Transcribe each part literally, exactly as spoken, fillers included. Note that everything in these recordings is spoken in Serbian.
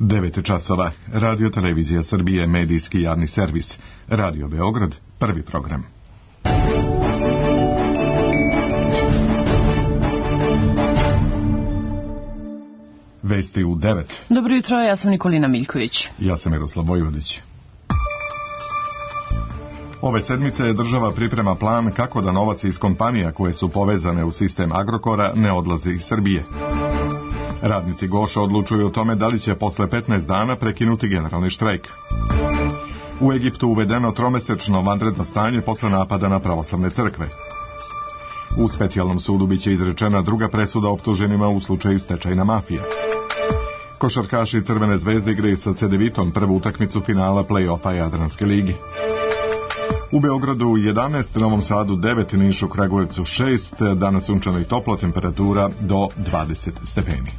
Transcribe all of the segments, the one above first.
devet časova. Radio Televizija Srbije, medijski javni servis. Radio Beograd, prvi program. Vesti u devet. Dobro jutro, ja sam Nikolina Miljković. Ja sam Miroslav Vojvodić. Ove sedmice država priprema plan kako da novac iz kompanija koje su povezane u sistem Agrokora ne odlazi iz Srbije. Radnici Goša odlučuju o tome da li će posle petnaest dana prekinuti generalni štrajk. U Egiptu uvedeno tromesečno vanredno stanje posle napada na pravoslavne crkve. U specijalnom sudu biće izrečena druga presuda optuženima u slučaju stečajna mafija. Košarkaši Crvene zvezde igraju sa Cedevitom prvu utakmicu finala play-offa Jadranske ligi. U Beogradu jedanaest, Novom Sadu devet, Nišu, Kragujevcu šest, danas sunčano i toplo, temperatura do dvadeset stepeni.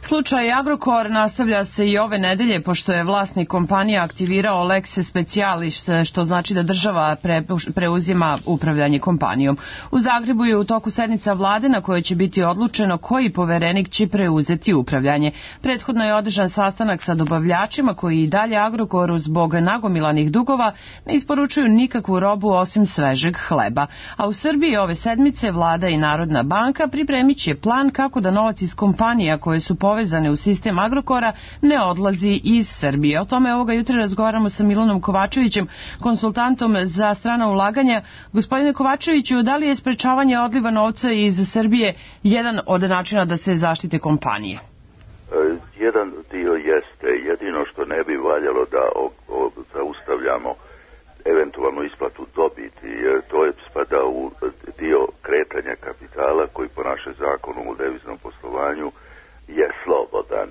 Slučaj Agrokor nastavlja se i ove nedelje, pošto je vlasnik kompanija aktivirao lex specialis, što znači da država pre, preuzima upravljanje kompanijom. U Zagrebu je u toku sednica vlade na kojoj će biti odlučeno koji poverenik će preuzeti upravljanje. Prethodno je održan sastanak sa dobavljačima koji i dalje Agrokoru zbog nagomilanih dugova ne isporučuju nikakvu robu osim svežeg hleba. A u Srbiji ove sedmice vlada i Narodna banka pripremit će plan kako da novac iz kompanija koje su povezane u sistem Agrokora ne odlazi iz Srbije. O tome ovoga jutra razgovaramo sa Milanom Kovačevićem, konsultantom za strana ulaganja. Gospodine Kovačeviću, da li je sprečavanje odliva novca iz Srbije jedan od načina da se zaštite kompanije? Jedan dio jeste. Jedino što ne bi valjalo da o, o, zaustavljamo eventualnu isplatu dobiti, jer to je spada u dio kretanja kapitala koji po našem zakonu u deviznom poslovanju je slobodan.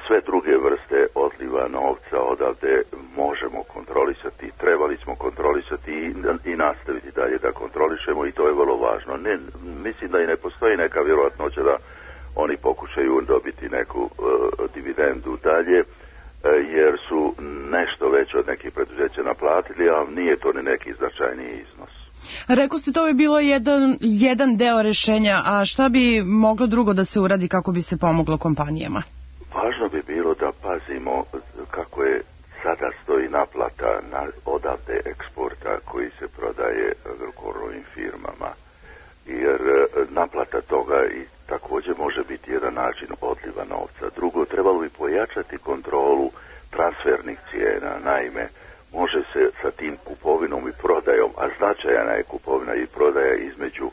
Sve druge vrste odliva novca odavde možemo kontrolisati, trebali smo kontrolisati i nastaviti dalje da kontrolišemo i to je vrlo važno. Ne, mislim da i ne postoji neka vjerojatnoća da oni pokušaju dobiti neku uh, dividendu dalje, uh, jer su nešto već od nekih preduzeća naplatili, a nije to ni neki značajniji iznos. Rekao ste, to bi bilo jedan, jedan deo rešenja, a šta bi moglo drugo da se uradi kako bi se pomoglo kompanijama? Važno bi bilo da pazimo kako je sada stoji naplata na odavde eksporta koji se prodaje Agrokorovim firmama, jer naplata toga i također može biti jedan način odliva novca. Drugo, trebalo bi pojačati kontrolu transfernih cijena, naime, može se sa tim kupovinom i prodajom, a značajna je kupovina i prodaja između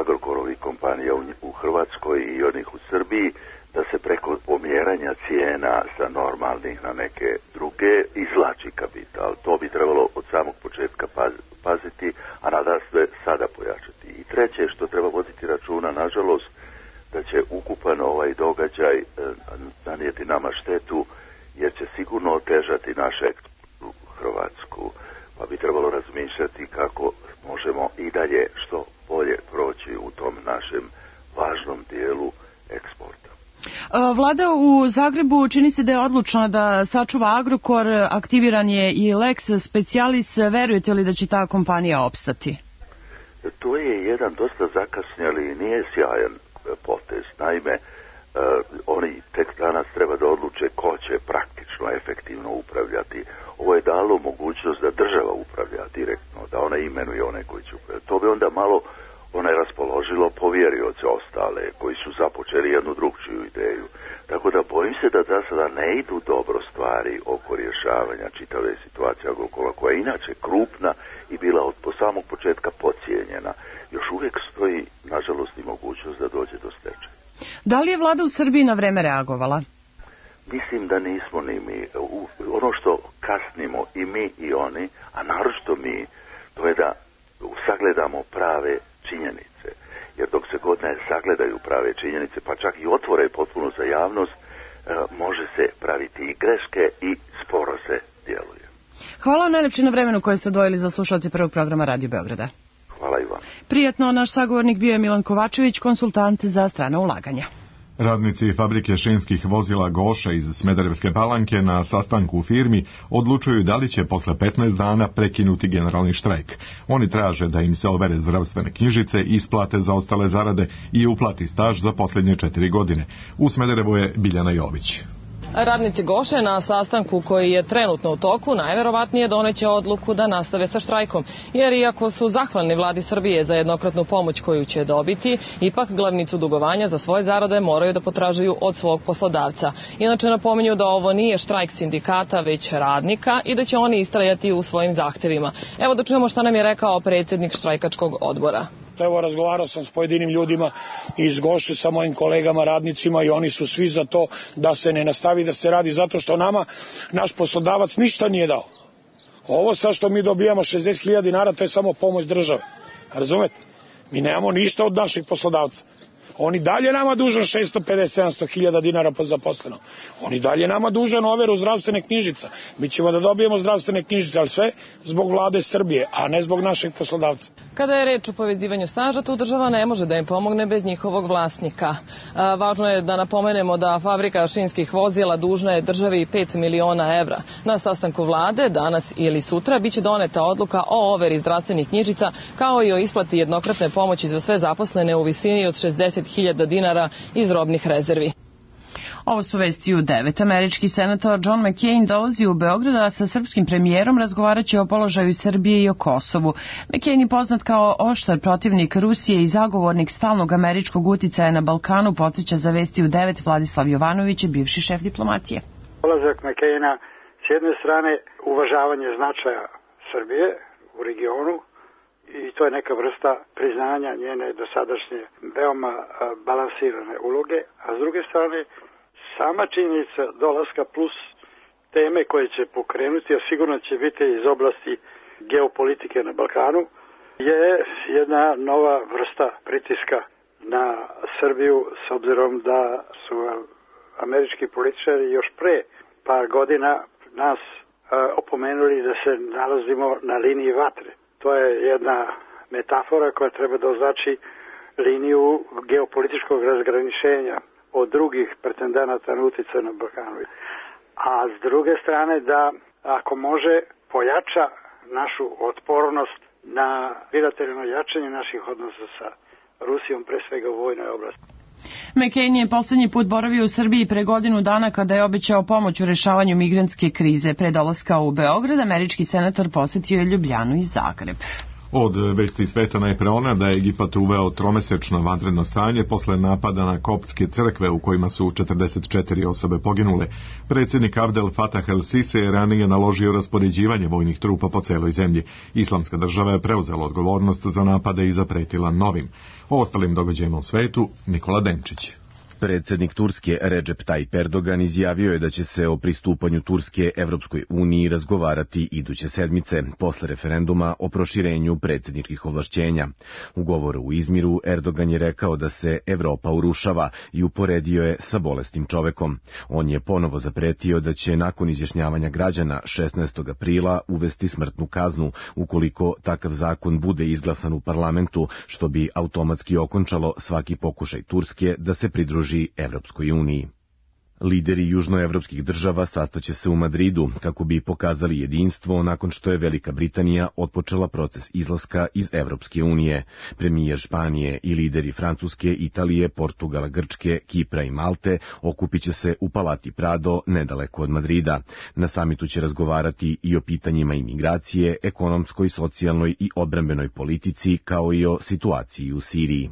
Agrokorovih kompanija u Hrvatskoj i onih u Srbiji, da se preko pomjeranja cijena sa normalnih na neke druge izvlači kapital. To bi trebalo od samog početka paziti, a nada se sada pojačati. I treće što treba voditi računa, nažalost, da će ukupan ovaj događaj nanijeti nama štetu, jer će sigurno otežati naše eksport u Hrvatsku, pa bi trebalo razmišljati kako možemo i dalje što bolje proći u tom našem važnom dijelu eksporta. Vlada u Zagrebu čini se da je odlučna da sačuva Agrokor, aktiviran je i lex specialis. Verujete li da će ta kompanija opstati? To je jedan dosta zakasnjali i nije sjajan potez. Naime, Uh, oni tek danas treba da odluče ko će praktično efektivno upravljati. Ovo je dalo mogućnost da država upravlja direktno, da ona imenuje one koji će upravljati. To bi onda malo onaj raspoložilo povjerioce ostale koji su započeli jednu drugčiju ideju. Tako da bojim se da za sada ne idu dobro stvari oko rješavanja čitave situacije Agrokora, koja je inače krupna i bila od po samog početka podcijenjena. Još uvijek stoji, nažalost, i mogućnost da dođe do stečaja. Da li je vlada u Srbiji na vreme reagovala? Mislim da nismo ni mi. Ono što kasnimo i mi i oni, a naročito mi, to je da sagledamo prave činjenice. Jer dok se god ne sagledaju prave činjenice, pa čak i otvore potpuno za javnost, može se praviti i greške i sporo se djeluje. Hvala vam najlepše na vremenu koje ste odvojili za slušalce prvog programa Radio Beograda. Hvala i vam. Prijatno, naš sagovornik bio je Milan Kovačević, konsultant za strana ulaganja. Radnici fabrike šinskih vozila Goša iz Smederevske Palanke na sastanku u firmi odlučuju da li će posle petnaest dana prekinuti generalni štrajk. Oni traže da im se overe zdravstvene knjižice, isplate za ostale zarade i uplati staž za posljednje četiri godine. U Smederevu je Biljana Jović. Radnici Goše na sastanku koji je trenutno u toku najverovatnije doneće odluku da nastave sa štrajkom, jer iako su zahvalni vladi Srbije za jednokratnu pomoć koju će dobiti, ipak glavnicu dugovanja za svoje zarade moraju da potražuju od svog poslodavca. Inače napominju da ovo nije štrajk sindikata, već radnika i da će oni istrajati u svojim zahtevima. Evo da čujemo šta nam je rekao predsjednik štrajkačkog odbora. Evo, razgovarao sam s pojedinim ljudima iz Goše, sa mojim kolegama radnicima i oni su svi za to da se ne nastavi da se radi, zato što nama naš poslodavac ništa nije dao. Ovo sad što mi dobijamo šezdeset hiljada dinara, to je samo pomoć države. Razumete? Mi nemamo ništa od naših poslodavca. Oni dalje nama dužan šesto pedeset do sedamsto hiljada dinara po zaposlenom. Oni dalje nama dužan overu zdravstvene knjižica. Mi ćemo da dobijemo zdravstvene knjižice, ali sve zbog vlade Srbije, a ne zbog našeg poslodavca. Kada je reč o povezivanju staža, tu država ne može da im pomogne bez njihovog vlasnika. A, važno je da napomenemo da fabrika šinskih vozila dužna je državi pet miliona evra. Na sastanku vlade, danas ili sutra, biće doneta odluka o overi zdravstvenih knjižica, kao i o isplati jednokratne pomoći za sve zaposlene u visini od šezdeset hiljada dinara iz robnih rezervi. Ovo su vesti u devet. Američki senator John McCain dolazi u Beograd, a sa srpskim premijerom razgovaraće o položaju Srbije i o Kosovu. McCain je poznat kao oštar protivnik Rusije i zagovornik stalnog američkog uticaja na Balkanu, podsjeća za vesti u devet Vladislav Jovanović, bivši šef diplomatije. Dolazak McCaina s jedne strane uvažavanje značaja Srbije u regionu, i to je neka vrsta priznanja njene dosadašnje veoma balansirane uloge, a s druge strane sama činjenica dolaska plus teme koje će pokrenuti, a sigurno će biti iz oblasti geopolitike na Balkanu, je jedna nova vrsta pritiska na Srbiju, s obzirom da su američki političari još pre par godina nas opomenuli da se nalazimo na liniji vatre. To je jedna metafora koja treba da označi liniju geopolitičkog razgraničenja od drugih pretendenata na utjecaj na Balkanu. A s druge strane da, ako može, pojača našu otpornost na bilateralno jačanje naših odnosa sa Rusijom, pre svega u vojnoj oblasti. McCain je poslednji put boravio u Srbiji pre godinu dana kada je obećao pomoć u rešavanju migrantske krize. Pre dolaska u Beograd, američki senator posetio je Ljubljanu i Zagreb. Od vesti sveta najpre ona da je Egipat uveo tromesečno vanredno stanje posle napada na koptske crkve u kojima su četrdeset četiri osobe poginule. Predsjednik Abdel Fatah el-Sisi je ranije naložio raspoređivanje vojnih trupa po celoj zemlji. Islamska država je preuzela odgovornost za napade i zapretila novim. O ostalim događajima u svetu, Nikola Denčić. Predsjednik Turske Recep Tayyip Erdogan izjavio je da će se o pristupanju Turske Evropskoj uniji razgovarati iduće sedmice, posle referenduma o proširenju predsjedničkih ovlašćenja. U govoru u Izmiru Erdogan je rekao da se Evropa urušava i uporedio je sa bolestim čovekom. On je ponovo zapretio da će nakon izjašnjavanja građana šesnaestog aprila uvesti smrtnu kaznu ukoliko takav zakon bude izglasan u parlamentu, što bi automatski okončalo svaki pokušaj Turske da se pridruži Evropskoj uniji. Lideri južnoevropskih država sastaće se u Madridu kako bi pokazali jedinstvo nakon što je Velika Britanija otpočela proces izlaska iz Evropske unije. Premijer Španije i lideri Francuske, Italije, Portugala, Grčke, Kipra i Malte okupit će se u Palati Prado nedaleko od Madrida. Na samitu će razgovarati i o pitanjima imigracije, ekonomskoj, socijalnoj i odbrambenoj politici, kao i o situaciji u Siriji.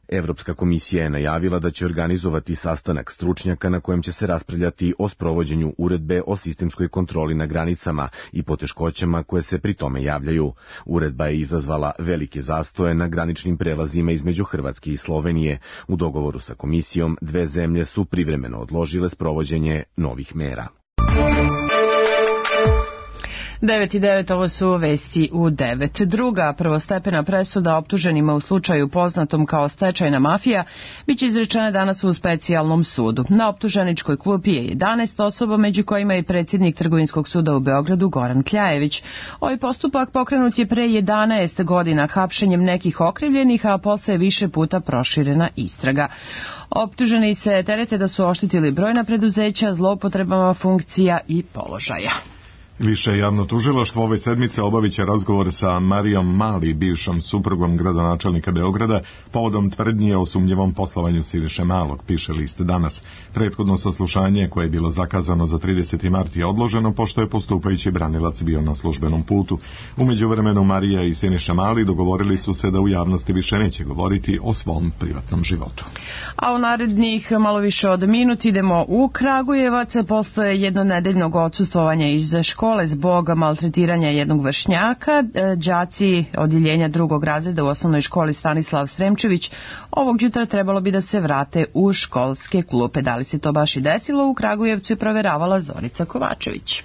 Evropska komisija je najavila da će organizovati sastanak stručnjaka na kojem će se raspravljati o sprovođenju uredbe o sistemskoj kontroli na granicama i poteškoćama koje se pri tome javljaju. Uredba je izazvala velike zastoje na graničnim prelazima između Hrvatske i Slovenije. U dogovoru sa komisijom dve zemlje su privremeno odložile sprovođenje novih mera. devet i devet, ovo su vesti u devet. Druga prvostepena presuda optuženima u slučaju poznatom kao stečajna mafija biće izrečena danas u specijalnom sudu. Na optuženičkoj klupi je jedanaest osoba, među kojima je predsjednik Trgovinskog suda u Beogradu Goran Kljajević. Ovaj postupak pokrenut je pre jedanaest godina hapšenjem nekih okrivljenih, a posle je više puta proširena istraga. Optuženi se terete da su oštetili brojna preduzeća zloupotrebama funkcija i položaja. Više javno tužilaštvo ove sedmice obavit će razgovor sa Marijom Mali, bivšom suprugom gradonačelnika Beograda, povodom tvrdnje o sumnjivom poslovanju Siniše Malog, piše list Danas. Prethodno saslušanje, koje je bilo zakazano za trideseti mart, je odloženo pošto je postupajući branilac bio na službenom putu. U međuvremenu Marija i Siniša Mali dogovorili su se da u javnosti više neće govoriti o svom privatnom životu. A u narednih malo više od minut idemo u Kragujevac posle jednonedeljnog odsustvovanja iz škole zbog maltretiranja jednog vršnjaka. Đaci odjeljenja drugog razreda u osnovnoj školi Stanislav Sremčević ovog jutra trebalo bi da se vrate u školske klupe. Da li se to baš i desilo, u Kragujevcu je proveravala Zorica Kovačević.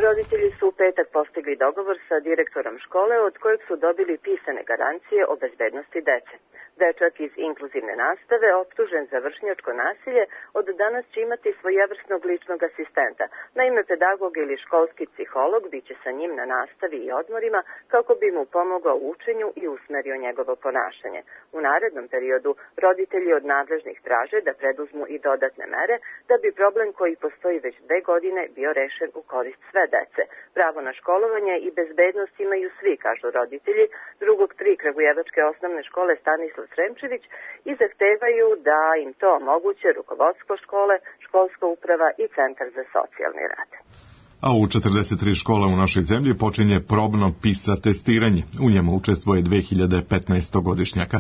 Roditelji su u petak postigli dogovor sa direktorom škole, od kojeg su dobili pisane garancije o bezbednosti dece. Dečak iz inkluzivne nastave, optužen za vršnjačko nasilje, od danas će imati svojevrsnog ličnog asistenta. Naime, pedagog ili školski psiholog biće sa njim na nastavi i odmorima kako bi mu pomogao u učenju i usmerio njegovo ponašanje. U narednom periodu roditelji od nadležnih traže da preduzmu i dodatne mere da bi problem koji postoji već dve godine bio rešen u korist sve dece. Pravo na školovanje i bezbednost imaju svi, kažu roditelji drugog tri kragujevačke osnovne škole Stanislav Sremčević i zahtevaju da im to omoguće rukovodstvo škole, školska uprava i centar za socijalni rad. A u četrdeset tri škole u našoj zemlji počinje probno PISA testiranje. U njemu učestvuje dve hiljade petnaestogodišnjaka.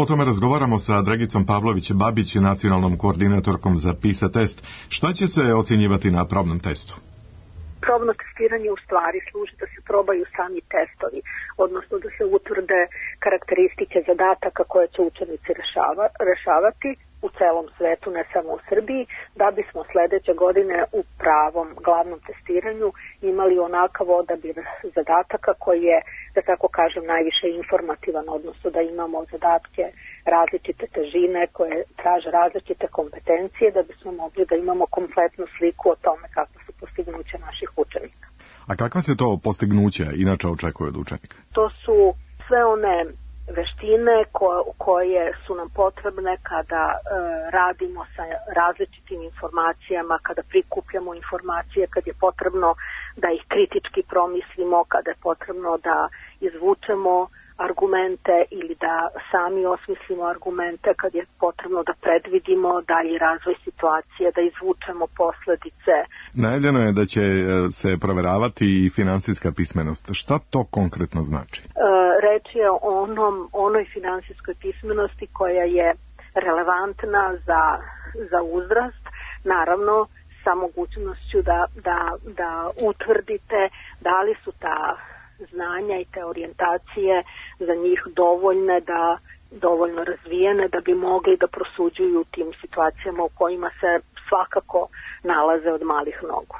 O tome razgovaramo sa Dragicom Pavlović-Babić, nacionalnom koordinatorkom za PISA test. Šta će se ocjenjivati na probnom testu? Probno testiranje u stvari služi da se probaju sami testovi, odnosno da se utvrde karakteristike zadataka koje će učenici rešava, rešavati u celom svetu, ne samo u Srbiji, da bismo sledeće godine u pravom glavnom testiranju imali onakav odabir zadataka koji je, da tako kažem, najviše informativan, odnosno da imamo zadatke različite težine koje traže različite kompetencije da bismo mogli da imamo kompletnu sliku o tome kako su postignuća naših učenika. A kakva se to postignuća inače očekuje od učenika? To su sve one veštine ko, koje su nam potrebne kada e, radimo sa različitim informacijama, kada prikupljamo informacije, kad je potrebno da ih kritički promislimo, kada je potrebno da izvučemo argumente ili da sami osmislimo argumente, kad je potrebno da predvidimo dalji razvoj situacije, da izvučemo posledice. Najavljeno je da će se proveravati i finansijska pismenost. Šta to konkretno znači? E, reč je o onom, onoj finansijskoj pismenosti koja je relevantna za, za uzrast, naravno sa mogućnošću da, da, da utvrdite da li su ta znanja i te orijentacije za njih dovoljne, da dovoljno razvijene da bi mogli da prosuđuju u tim situacijama u kojima se svakako nalaze od malih nogu.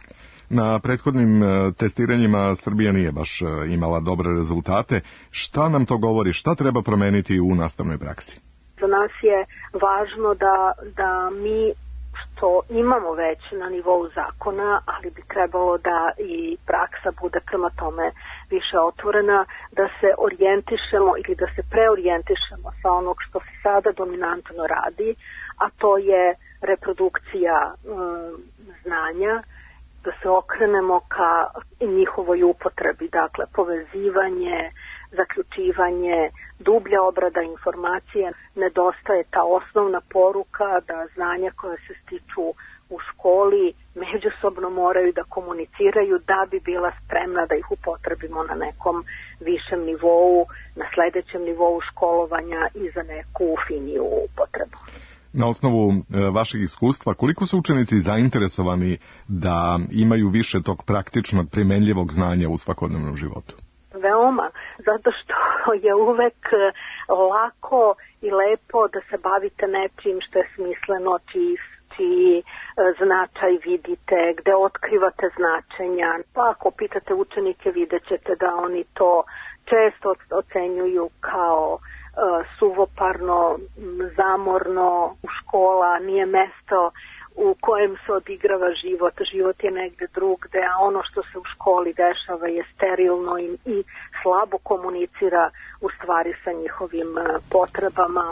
Na prethodnim testiranjima Srbija nije baš imala dobre rezultate. Šta nam to govori? Šta treba promeniti u nastavnoj praksi? Za nas je važno da, da mi što imamo već na nivou zakona, ali bi trebalo da i praksa bude prema tome više otvorena, da se orijentišemo ili da se preorijentišemo sa onog što se sada dominantno radi, a to je reprodukcija um, znanja, da se okrenemo ka njihovoj upotrebi, dakle povezivanje, zaključivanje, dublja obrada informacije. Nedostaje ta osnovna poruka da znanja koje se stiču u školi međusobno moraju da komuniciraju da bi bila spremna da ih upotrebimo na nekom višem nivou, na sledećem nivou školovanja i za neku finiju upotrebu. Na osnovu e, vašeg iskustva, koliko su učenici zainteresovani da imaju više tog praktičnog primenljivog znanja u svakodnevnom životu? Veoma, zato što je uvek lako i lepo da se bavite nečim što je smisleno, čiji, čiji značaj vidite, gde otkrivate značenja. Pa ako pitate učenike, vidjet ćete da oni to često ocenjuju kao suvoparno, zamorno, u škola nije mesto u kojem se odigrava život. Život je negde drugde, a ono što se u školi dešava je sterilno i, i slabo komunicira u stvari sa njihovim potrebama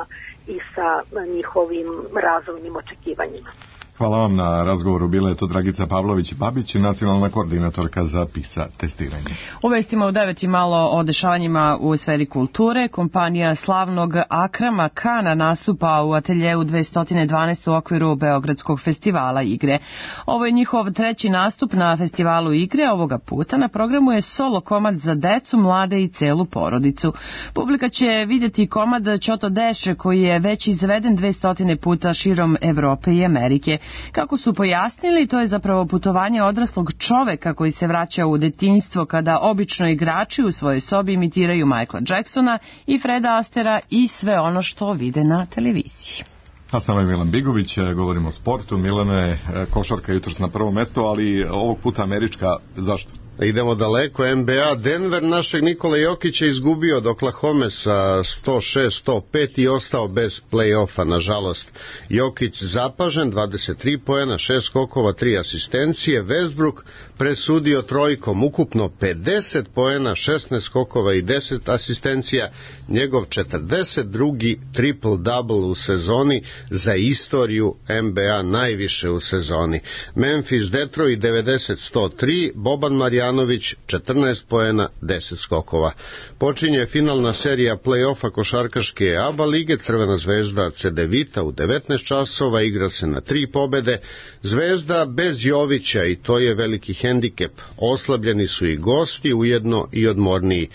i sa njihovim razvojnim očekivanjima. Hvala vam na razgovoru. Bila je to Dragica Pavlović-Babić, nacionalna koordinatorka za PISA testiranje. U vestima u devet i malo o dešavanjima u sferi kulture. Kompanija slavnog Akrama Kana nastupa u ateljeu dvesta dvanaest u okviru Beogradskog festivala igre. Ovo je njihov treći nastup na festivalu igre. Ovoga puta na programu je solo komad za decu, mlade i celu porodicu. Publika će vidjeti komad Ćoto Deše koji je već izveden dvesta puta širom Evrope i Amerike. Kako su pojasnili, to je zapravo putovanje odraslog čoveka koji se vraća u detinjstvo kada obično igrači u svojoj sobi imitiraju Michaela Jacksona i Freda Astera i sve ono što vide na televiziji. A s nama je Milan Bigović, govorimo o sportu. Milane, košarka jutros na prvo mesto, ali ovog puta američka. Zašto? Idemo daleko, N B A. Denver našeg Nikole Jokića izgubio od Oklahome sa sto šest sto pet i ostao bez play-offa, nažalost. Jokić zapažen, dvadeset tri poena, šest skokova, tri asistencije. Westbrook presudio trojkom, ukupno pedeset poena, šesnaest skokova i deset asistencija. Njegov četrdeset drugi triple-double u sezoni, za istoriju N B A najviše u sezoni. Memphis Detroit devedeset sto tri, Boban Marjanović četrnaest poena, deset skokova. Počinje finalna serija play-offa košarkaške A B A lige. Crvena zvezda Cedevita u devetnaest časova, igra se na tri pobede. Zvezda bez Jovića i to je veliki hendikep. Oslabljeni su i gosti, ujedno i odmorniji.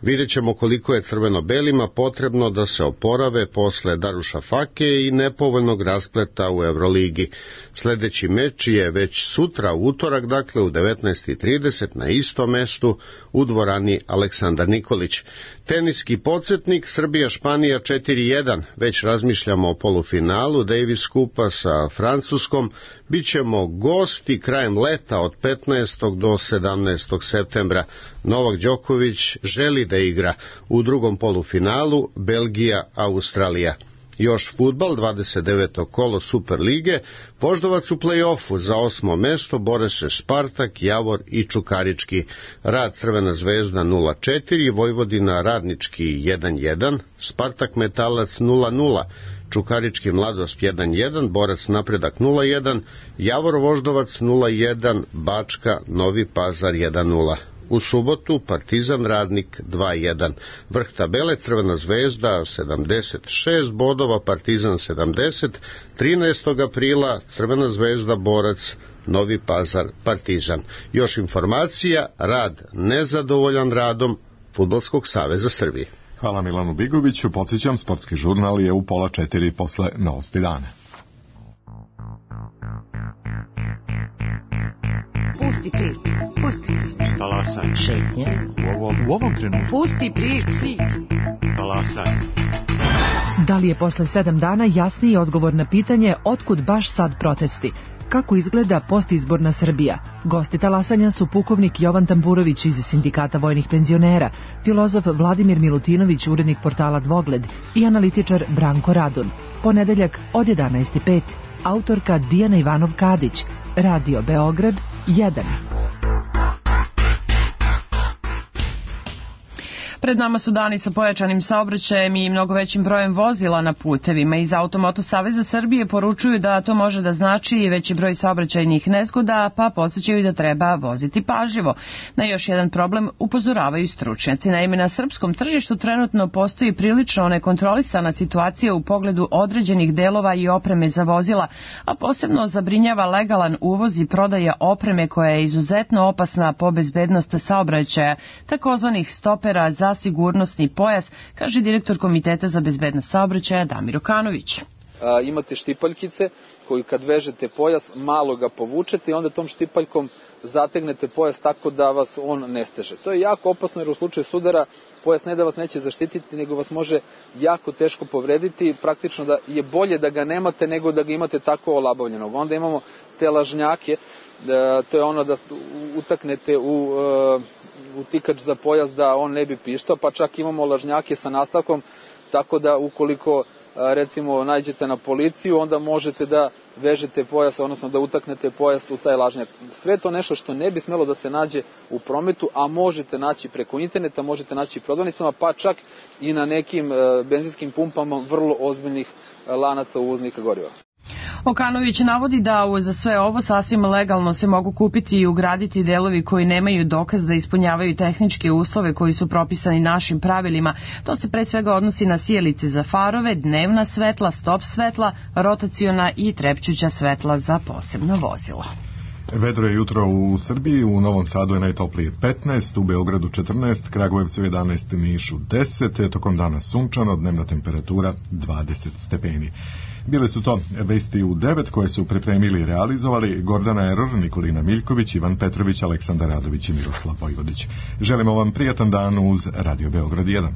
Vidjet ćemo koliko je crveno-belima potrebno da se oporave posle Darušafake i nepovoljnog raspleta u Euroligi. Sljedeći meč je već sutra, u utorak, dakle u devetnaest i trideset na istom mestu u dvorani Aleksandar Nikolić. Teniski podsjetnik Srbija-Španija četiri jedan. Već razmišljamo o polufinalu Davis Kupa sa Francuskom. Bićemo gosti krajem leta od petnaestog do sedamnaestog septembra. Novak Đoković želi da igra u drugom polufinalu Belgija-Australija. Još fudbal, dvadeset deveto kolo Superlige, Voždovac u play-offu za osmo mesto bore se Spartak, Javor i Čukarički. Rad Crvena zvezda nula četiri, Vojvodina Radnički jedan jedan, Spartak Metalac nula nula, Čukarički Mladost jedan jedan, Borac Napredak nula jedan, Javor Voždovac nula jedan, Bačka Novi Pazar jedan nula. U subotu Partizan Radnik dva jedan. Vrh tabele Crvena zvezda sedamdeset šest bodova, Partizan sedamdeset. trinaestog aprila Crvena zvezda Borac, Novi Pazar Partizan. Još informacija, Rad nezadovoljan radom Fudbalskog saveza Srbije. Hvala Milanu Bigoviću. Podsjećam, sportski žurnal je u pola četiri posle novosti dana. Pusti priču, pusti priču. Talasaj. Šetnje. U ovom, u ovom trenutku. Pusti priču. Talasaj. Da li je posle sedam dana jasniji odgovor na pitanje otkud baš sad protesti? Kako izgleda postizborna Srbija? Gosti talasanja su pukovnik Jovan Tamburović iz Sindikata vojnih penzionera, filozof Vladimir Milutinović, urednik portala Dvogled i analitičar Branko Radun. Ponedeljak od jedanaest i pet. Autorka Dijana Ivanov-Kadić. Radio Beograd jedan. Pred nama su dani sa pojačanim saobraćajem i mnogo većim brojem vozila na putevima. Iz Automoto Saveza Srbije poručuju da to može da znači i veći broj saobraćajnih nezgoda, pa podsjećaju da treba voziti pažljivo. Na još jedan problem upozoravaju stručnjaci. Naime, na srpskom tržištu trenutno postoji prilično nekontrolisana situacija u pogledu određenih delova i opreme za vozila, a posebno zabrinjava legalan uvoz i prodaja opreme koja je izuzetno opasna po bezbednost saobraćaja, takozvanih stopera za sigurnosni pojas, kaže direktor Komiteta za bezbednost saobraćaja Damir Okanović. a, imate štipaljkice koju kad vežete pojas malo ga povučete i onda tom štipaljkom zategnete pojas tako da vas on ne steže. To je jako opasno jer u slučaju sudara pojas ne da vas neće zaštititi, nego vas može jako teško povrediti, praktično da je bolje da ga nemate nego da ga imate tako olabavljenog. Onda imamo te lažnjake, to je ono da utaknete u, u tikač za pojas da on ne bi pištao, pa čak imamo lažnjake sa nastavkom, tako da ukoliko recimo nađete na policiju, onda možete da vežete pojas, odnosno da utaknete pojas u taj lažnjak. Sve to nešto što ne bi smelo da se nađe u prometu, a možete naći preko interneta, možete naći prodavnicama, pa čak i na nekim benzinskim pumpama vrlo ozbiljnih lanaca uvoznika goriva. Okanović navodi da za sve ovo sasvim legalno se mogu kupiti i ugraditi delovi koji nemaju dokaz da ispunjavaju tehničke uslove koji su propisani našim pravilima. To se pre svega odnosi na sijalice za farove, dnevna svetla, stop svetla, rotaciona i trepćuća svetla za posebno vozilo. Vedro je jutro u Srbiji, u Novom Sadu je najtoplije petnaest, u Beogradu četrnaest, Kragujevcu jedanaest, Nišu deset, tokom dana sunčano, dnevna temperatura dvadeset stepeni. Bile su to vesti u devet koje su pripremili i realizovali Gordana Eror, Nikolina Miljković, Ivan Petrović, Aleksandar Radović i Miroslav Vojvodić. Želimo vam prijatan dan uz Radio Beograd jedan.